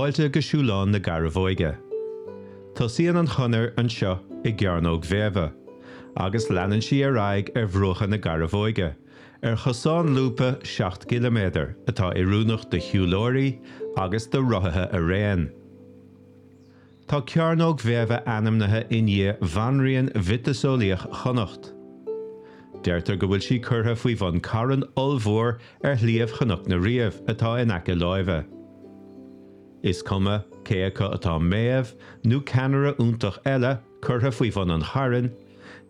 Fáilte go Siúlán na Garbhóige. Tosaíonn an chonair anseo i gCearnóg Mhéabha agus leanann sí ar aghaidh ar bhruacha na Garbhóige, ar chosán lúbtha 7 gciliméadar atá oiriúnach do shiúlóirí agus do rothaithe araon. Tá Cearnóg Mhéabha ainmnithe i ndiaidh bhanríon mhiotaseolaíoch Chonnacht. Deirtear go bhfuil sí curtha faoi bhun carn ollmhór ar shliabh Chnoc na Riabh atá in aice láimhe. Is cuma cé acu atá Méabh nó ceannaire iontach eile curtha faoi bhun an chairn,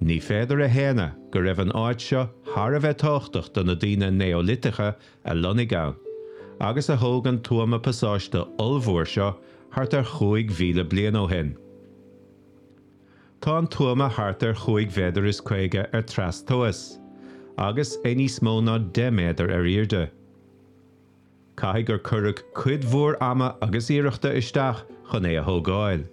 ní féidir a shéanadh go raibh an áit seo thar a bheith tábhachtach do na daoine Neoiliteacha a lonnaigh ann, agus a thóg an tuama pasáiste ollmhór seo thart ar 5,000 bliain ó shin. Tá an tuama thart ar chúig mhéadar is 50 ar trastomhas, agus é níos mó ná 10 méadar ar airde. Caithfidh gur cuireadh cuid mhór ama agus iarrachta isteach chun é a thógáil.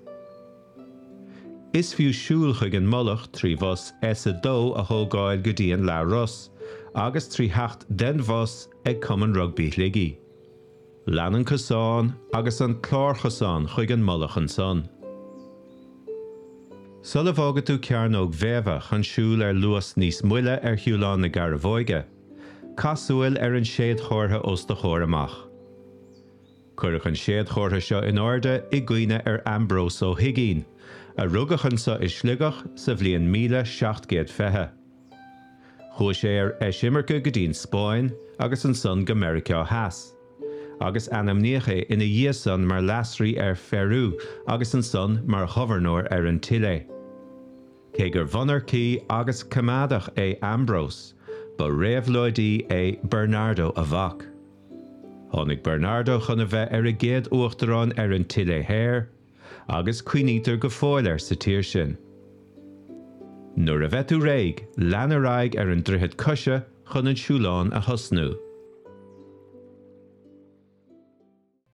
Is fiú siúl chuig an mullach trí bhus S2 a thógáil go dtí an Leath-Ros agus trí theacht den bhus ag Cumann Rugbaí Shligigh. Lean an cosán agus an clárchosán chuig an mullach ansan. Sula bhfágfaidh tú Cearnóg Mhéabha chun siúl ar luas níos moille ar Shiúlán na Garbhóige, caith súil ar an séadchomhartha os do chomhair amach. Cuireadh an séadchomhartha seo in airde i gcuimhne ar Ambrós Ó hUigínn, a rugadh anso i Sligeach sa bhliain 1720. Chuaigh sé ar eisimirce go dtí'n Spáinn agus ansan go Meiriceá Theas, agus ainmníodh é ina dhiaidh san mar leasrí ar Pheiriú agus ansan mar ghobharnóir ar an tSile. Cé gur mhonarcaí agus coimeádach é Ambrós, ba réabhlóidí é Bernardo a mhac. Tháinig Bernardo chun a bheith ar an gcéad uachtarán ar an tSile Thoir, agus cuimhnítear go fóill air sa tír sin. Nuair a bheidh tú réidh, lean ar aghaidh ar an droichead coise chun an siúlán a thosnú.